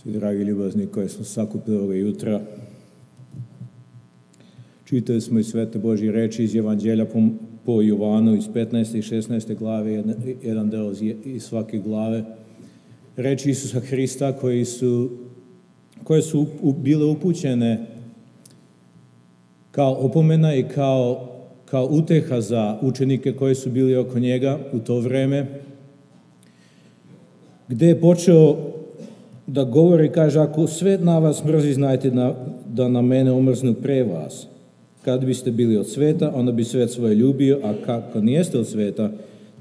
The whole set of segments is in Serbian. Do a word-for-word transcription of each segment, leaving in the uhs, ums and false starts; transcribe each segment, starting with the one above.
Svi dragi ljubazni koji smo sakupili ovoga jutra, čitali smo iz Svete Božje reči iz Evanđelja po, po Jovanu iz petnaeste i šesnaeste glave, jedan, jedan deo iz svake glave. Reči Isusa Hrista koji su, koje su bile upućene kao opomena i kao, kao uteha za učenike koji su bili oko njega u to vreme, gde je počeo da govori, kaže, ako svet na vas mrzi, znajte da, da na mene omrznu pre vas. Kad biste bili od sveta, onda bi svet svoje ljubio, a kako nijeste od sveta,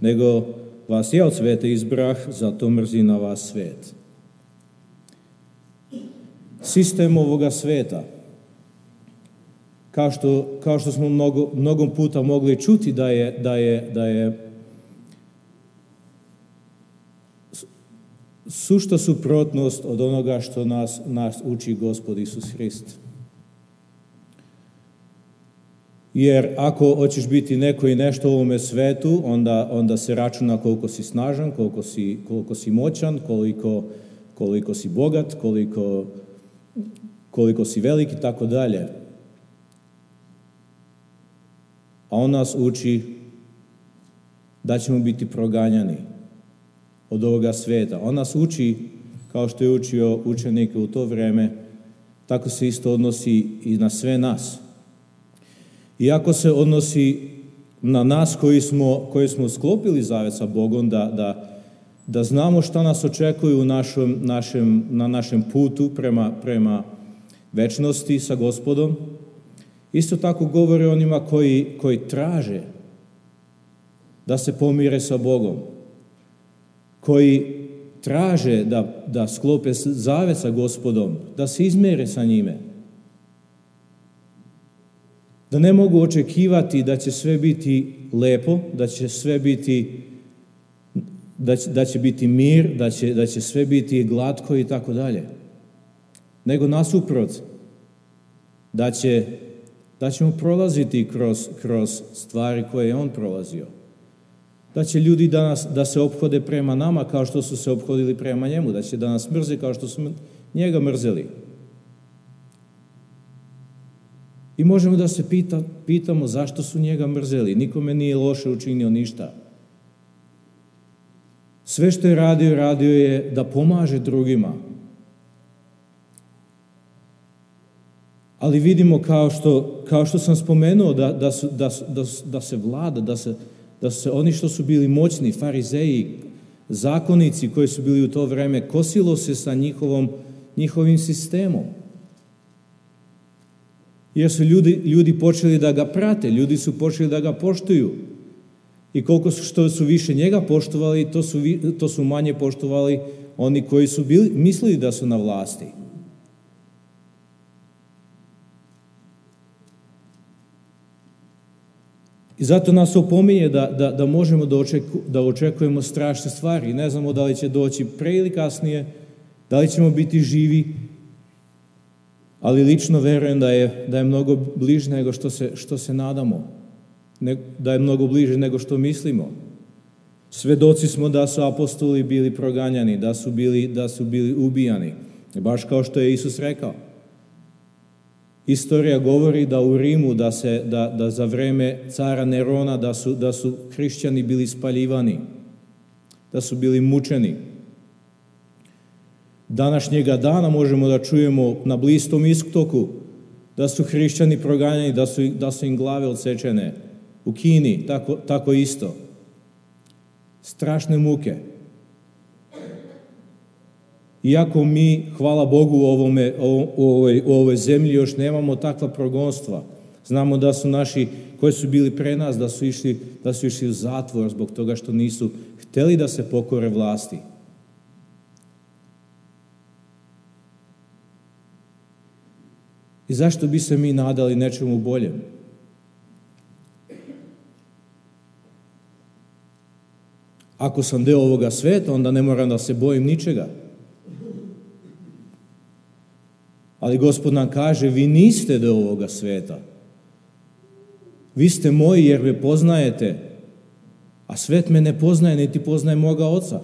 nego vas je od sveta izbrah, zato mrzi na vas svet. Sistem ovoga sveta, kao što, kao što smo mnogo, mnogo puta mogli čuti da je, da je, da je sušta suprotnost od onoga što nas, nas uči Gospod Isus Hrist. Jer ako hoćeš biti neko i nešto u ovome svetu, onda, onda se računa koliko si snažan, koliko si, koliko si moćan, koliko, koliko si bogat, koliko, koliko si velik i tako dalje. A on nas uči da ćemo biti proganjani od ovoga sveta. On nas uči, kao što je učio učenike u to vreme, tako se isto odnosi i na sve nas. Iako se odnosi na nas koji smo, koji smo sklopili zavet sa Bogom, da, da, da znamo šta nas očekuje u našem, našem, na našem putu prema, prema večnosti sa Gospodom, isto tako govori onima koji, koji traže da se pomire sa Bogom, koji traže da, da sklope zavet sa Gospodom, da se izmere sa njime, da ne mogu očekivati da će sve biti lepo, da će sve biti, da će, da će biti mir, da će, da će sve biti glatko i tako dalje, nego nasuprot, da će, da ćemo prolaziti kroz, kroz stvari koje je on prolazio. Da će ljudi danas da se ophode prema nama kao što su se ophodili prema njemu, da će da nas mrze kao što su njega mrzeli. I možemo da se pita, pitamo zašto su njega mrzeli. Nikome nije loše učinio ništa. Sve što je radio, radio je da pomaže drugima. Ali vidimo kao što, kao što sam spomenuo da, da, su, da, da, da se vlada, da se da su se oni što su bili moćni, farizeji, zakonici koji su bili u to vreme, kosilo se sa njihovom, njihovim sistemom. Jer su ljudi, ljudi počeli da ga prate, ljudi su počeli da ga poštuju. I koliko su, što su više njega poštovali, to su, to su manje poštovali oni koji su bili, mislili da su na vlasti. I zato nas opominje da, da, da možemo da, očeku, da očekujemo strašne stvari. Ne znamo da li će doći pre ili kasnije, da li ćemo biti živi, ali lično verujem da je, da je mnogo bliže nego što se, što se nadamo, ne, da je mnogo bliže nego što mislimo. Svedoci smo da su apostoli bili proganjani, da su bili, da su bili ubijani, baš kao što je Isus rekao. Istorija govori da u Rimu, da, se, da, da za vreme cara Nerona, da su, da su hrišćani bili spaljivani, da su bili mučeni. Današnjega dana možemo da čujemo na Bliskom istoku da su hrišćani proganjani, da su, da su im glave odsečene. U Kini, tako, tako isto. Strašne muke. Iako mi, hvala Bogu, u, ovome, u, ovoj, u ovoj zemlji još nemamo takva progonstva. Znamo da su naši, koji su bili pre nas, da su išli, da su išli u zatvor zbog toga što nisu hteli da se pokore vlasti. I zašto bi se mi nadali nečemu boljem? Ako sam deo ovoga sveta, onda ne moram da se bojim ničega. Ali Gospod nam kaže, vi niste deo ovoga sveta. Vi ste moji jer me poznajete, a svet me ne poznaje, niti poznaje moga Oca.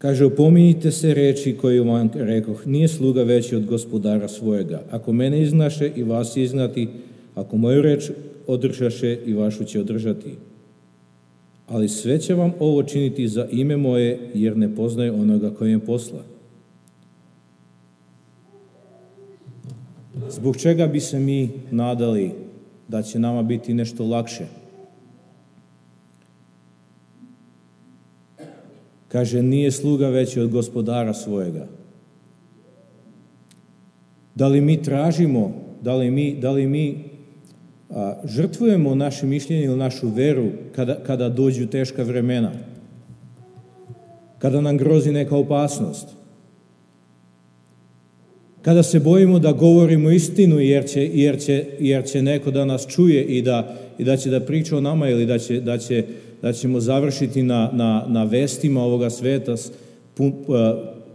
Kaže, opominjite se reči koju vam rekoh, nije sluga veći od gospodara svojega. Ako mene iznaše i vas iznati, ako moju reč održaše i vašu će održati. Ali sve će vam ovo činiti za ime moje, jer ne poznaje onoga koji je posla. Zbog čega bi se mi nadali da će nama biti nešto lakše? Kaže, nije sluga veći od gospodara svojega. Da li mi tražimo, da li mi, da li mi a, žrtvujemo naše mišljenje ili našu veru kada, kada dođu teška vremena? Kada nam grozi neka opasnost? Kada se bojimo da govorimo istinu jer će, jer će, jer će neko da nas čuje i da, i da će da priča o nama ili da, će, da, će, da ćemo završiti na, na, na vestima ovoga sveta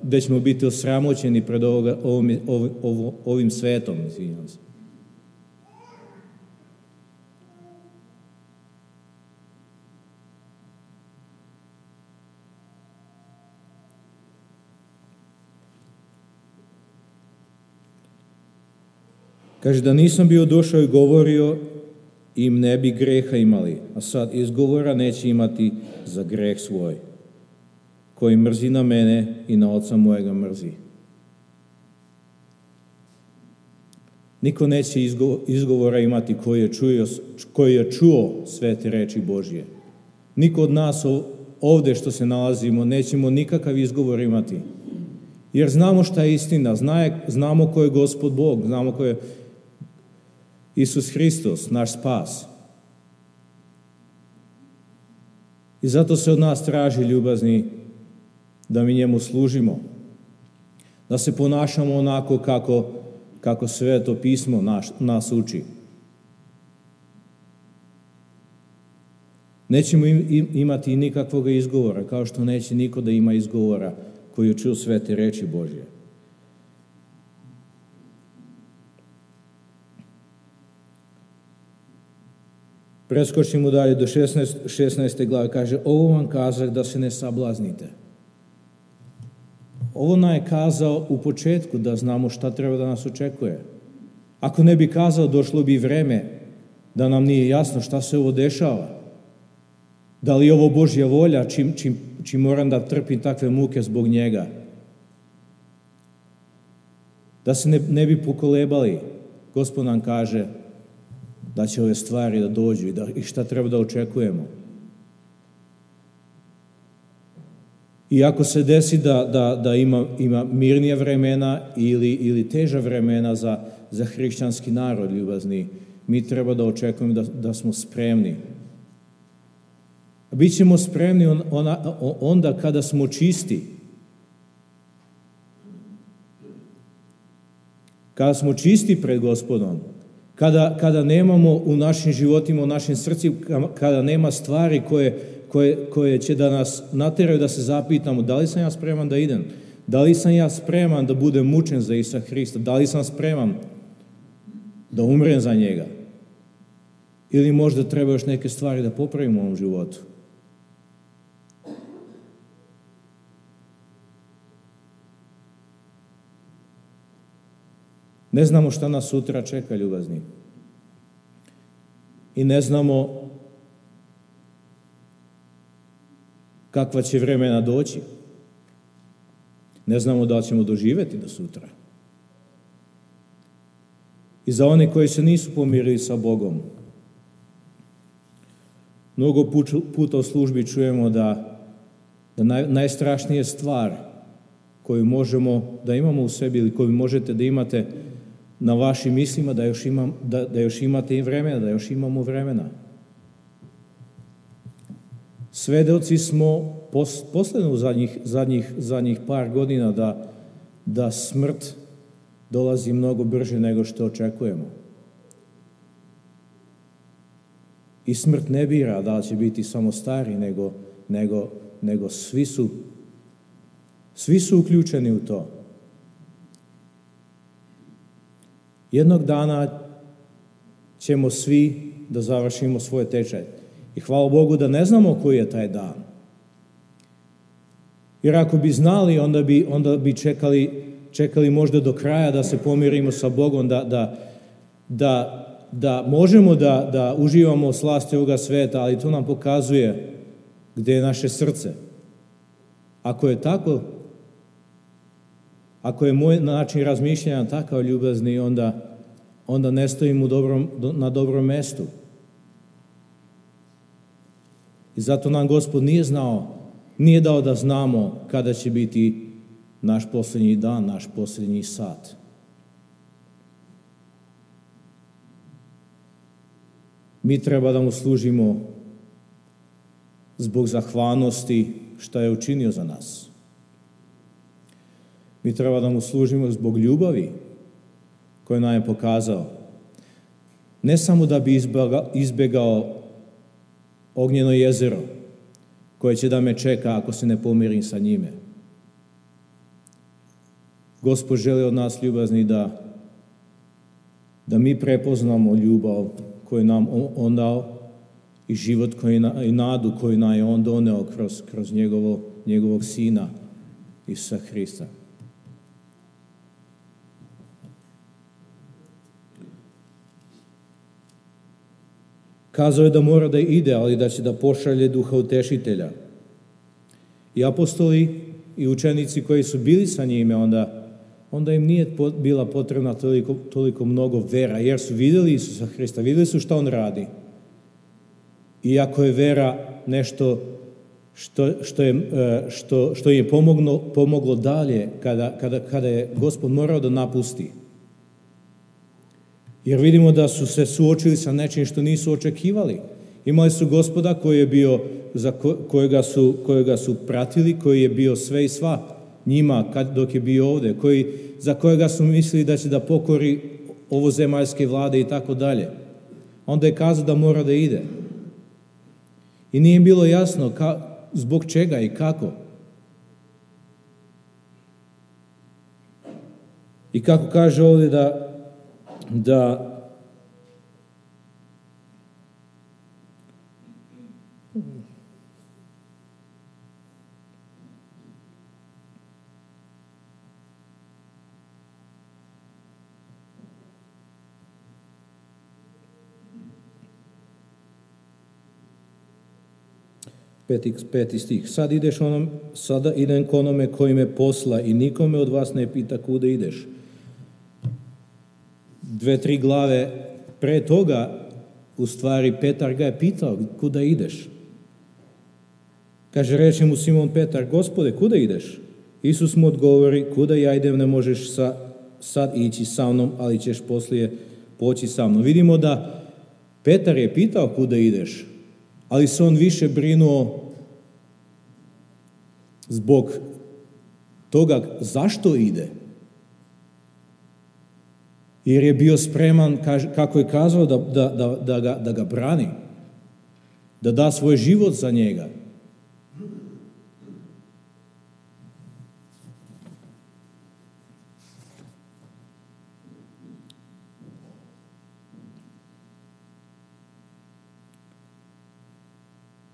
gde ćemo biti osramoćeni pred ovoga, ovim, ovim, ovim svetom. Izvinjam se. Kaže, da nisam bio došao i govorio, im ne bi greha imali, a sad izgovora neće imati za greh svoj, koji mrzi na mene i na oca mojega mrzi. Niko neće izgovora imati koji je čuo, koji je čuo svete reči Božje. Niko od nas ovde što se nalazimo nećemo nikakav izgovor imati, jer znamo šta je istina, znamo ko je Gospod Bog, znamo ko je Isus Hristos, naš spas. I zato se od nas traži, ljubazni, da mi njemu služimo, da se ponašamo onako kako, kako Sveto pismo naš, nas uči. Nećemo im, imati nikakvog izgovora, kao što neće niko da ima izgovora koji čuo svete reči Božje. Preskočimo dalje do šesnaeste glave, kaže, ovo vam kazah da se ne sablaznite. Ovo nam je kazao u početku da znamo šta treba da nas očekuje. Ako ne bi kazao, došlo bi vreme da nam nije jasno šta se ovo dešava. Da li je ovo Božja volja, čim, čim, čim moram da trpim takve muke zbog njega. Da se ne, ne bi pokolebali. Gospod nam kaže da će ove stvari da dođu i, da, i šta treba da očekujemo. I ako se desi da, da, da ima, ima mirnija vremena ili, ili teža vremena za, za hrišćanski narod, ljubazni, mi treba da očekujemo da, da smo spremni. Bićemo spremni on, ona, onda kada smo čisti. Kada smo čisti pred Gospodom. Kada, kada nemamo u našim životima, u našim srcima, kada nema stvari koje, koje, koje će da nas nateraju da se zapitamo da li sam ja spreman da idem, da li sam ja spreman da budem mučen za Isusa Hrista, da li sam spreman da umrem za njega, ili možda treba još neke stvari da popravimo u ovom životu. Ne znamo šta nas sutra čeka, ljubazni. I ne znamo kakva će vremena doći. Ne znamo da li ćemo doživjeti do sutra. I za one koji se nisu pomirili sa Bogom, mnogo puta u službi čujemo da, da naj, najstrašnija stvar koju možemo da imamo u sebi ili koju možete da imate na vašim mislima, da još, imam, da, da još imate i vremena, da još imamo vremena. Svedoci smo pos, posledno u zadnjih, zadnjih, zadnjih par godina da, da smrt dolazi mnogo brže nego što očekujemo. I smrt ne bira da li će biti samo stari, nego, nego, nego svi su, svi su uključeni u to. Jednog dana ćemo svi da završimo svoje tečaj. I hvala Bogu da ne znamo koji je taj dan. Jer ako bi znali, onda bi, onda bi čekali, čekali možda do kraja da se pomirimo sa Bogom, da, da, da, da možemo da, da uživamo slasti ovoga sveta, ali to nam pokazuje gdje je naše srce. Ako je tako, ako je moj način razmišljanja takav ljubazni, onda, onda ne stojim u dobrom, na dobrom mjestu. I zato nam Gospod nije znao, nije dao da znamo kada će biti naš posljednji dan, naš posljednji sat. Mi treba da mu služimo zbog zahvalnosti što je učinio za nas. Mi treba da mu služimo zbog ljubavi koju nam je pokazao. Ne samo da bi izbjegao ognjeno jezero koje će da me čeka ako se ne pomirim sa njime. Gospod želi od nas ljubazni da, da mi prepoznamo ljubav koju nam on dao i život koji, i nadu koju nam je on doneo kroz, kroz njegovo, njegovog sina Isusa Hrista. Kazao je da mora da ide, ali da će da pošalje Duha Utešitelja. I apostoli i učenici koji su bili sa njime, onda, onda im nije bila potrebna toliko, toliko mnogo vera, jer su vidjeli Isusa Hrista, vidjeli su šta on radi. Iako je vera nešto što, što, je, što, što je pomoglo, pomoglo dalje kada, kada, kada je Gospod morao da napusti. Jer vidimo da su se suočili sa nečim što nisu očekivali. Imali su Gospoda koji je bio, za kojega su, kojega su pratili, koji je bio sve i sva njima kad, dok je bio ovdje, koji, za kojega su mislili da će da pokori ovozemaljske vlade i tako dalje. Onda je kazao da mora da ide. I nije bilo jasno ka, zbog čega i kako. I kako kaže ovdje da da Peti, peti stih. Sad ideš onom, sada idem k onome koji me posla i nikome od vas ne pita kuda ideš. Dve, tri glave pre toga, u stvari, Petar ga je pitao, kuda ideš? Kaže, reče mu Simon Petar, Gospode, kuda ideš? Isus mu odgovori, kuda ja idem, ne možeš sa, sad ići sa mnom, ali ćeš poslije poći sa mnom. Vidimo da Petar je pitao kuda ideš, ali se on više brinuo zbog toga zašto ide. Jer je bio spreman, kako je kazao, da, da, da, da, ga, da ga brani, da da svoj život za njega.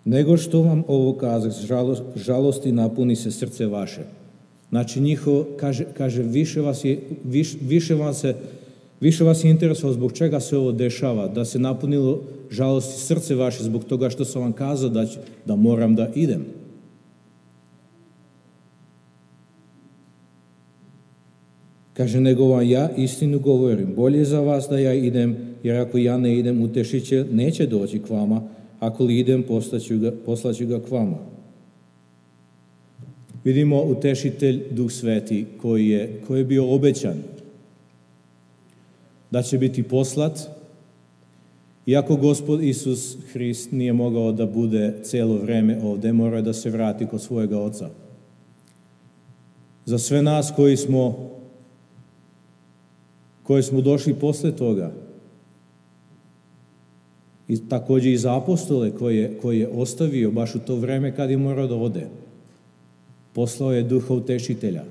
Nego što vam ovo kazah, žalost, žalosti napuni se srce vaše. Znači njihovo, kaže, kaže više vas je, više, više vam se Više vas je interesovalo zbog čega se ovo dešava, da se napunilo žalosti srce vaše zbog toga što sam vam kazao da, ću, da moram da idem. Kaže, nego vam ja istinu govorim, bolje za vas da ja idem, jer ako ja ne idem, Utešitelj neće doći k vama, ako li idem, poslaću ga, poslaću ga k vama. Vidimo Utešitelj, Duh Sveti, koji je, koji je bio obećan da će biti poslat, iako Gospod Isus Hrist nije mogao da bude cijelo vrijeme ovdje, mora da se vrati kod svojega Oca. Za sve nas koji smo, koji smo došli posle toga, i također i za apostole koje je, koje je ostavio baš u to vrijeme kad je morao da ode, poslao je Duha Utešitelja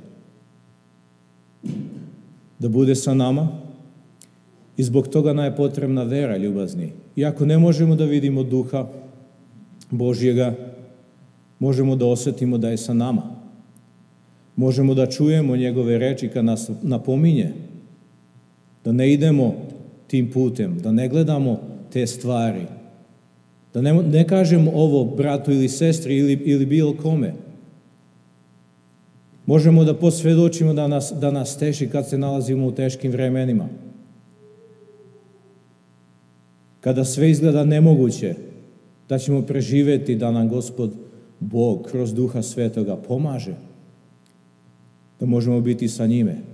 da bude sa nama. I zbog toga nam je potrebna vera, ljubazni. Iako ne možemo da vidimo Duha Božjega, možemo da osjetimo da je sa nama. Možemo da čujemo njegove reči kad nas napominje da ne idemo tim putem, da ne gledamo te stvari, da ne, ne kažemo ovo bratu ili sestri ili, ili bilo kome. Možemo da posvjedočimo da nas, da nas teši kad se nalazimo u teškim vremenima. Kada sve izgleda nemoguće, da ćemo preživjeti da nam Gospod Bog kroz Duha Svetoga pomaže, da možemo biti sa njime.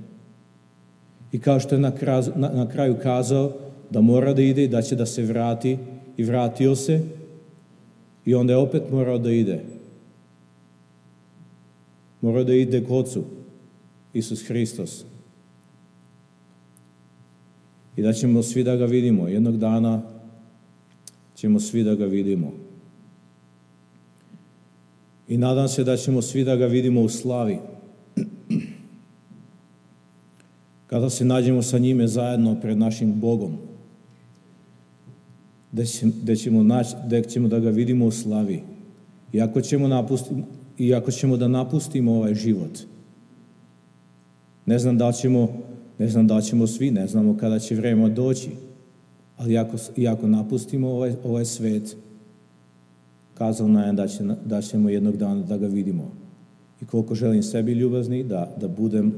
I kao što je na kraju, na, na kraju kazao da mora da ide i da će da se vrati, i vratio se, i onda je opet morao da ide. Morao da ide k Ocu, Isus Hristos. I da ćemo svi da ga vidimo. Jednog dana ćemo svi da ga vidimo. I nadam se da ćemo svi da ga vidimo u slavi. Kada se nađemo sa njime zajedno pred našim Bogom. Da ćemo, da ćemo, naći, da ćemo da ga vidimo u slavi. Iako ćemo, napustiti, iako ćemo da napustimo ovaj život. Ne znam da li ćemo, ne znam da li ćemo svi, ne znamo kada će vreme doći. Ali iako, iako napustimo ovaj, ovaj svet, kazao nam je da, će, da ćemo jednog dana da ga vidimo. I koliko želim sebi ljubazni, da, da budem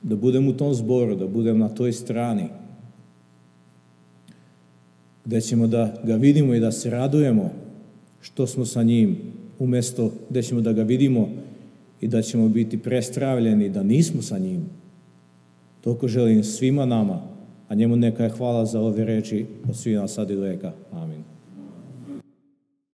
da budem u tom zboru, da budem na toj strani, gdje ćemo da ga vidimo i da se radujemo što smo sa njim, umjesto gdje ćemo da ga vidimo i da ćemo biti prestravljeni da nismo sa njim. Toliko želim svima nama, a njemu neka je hvala za ove reči od svih nas sad i do veka. Amen.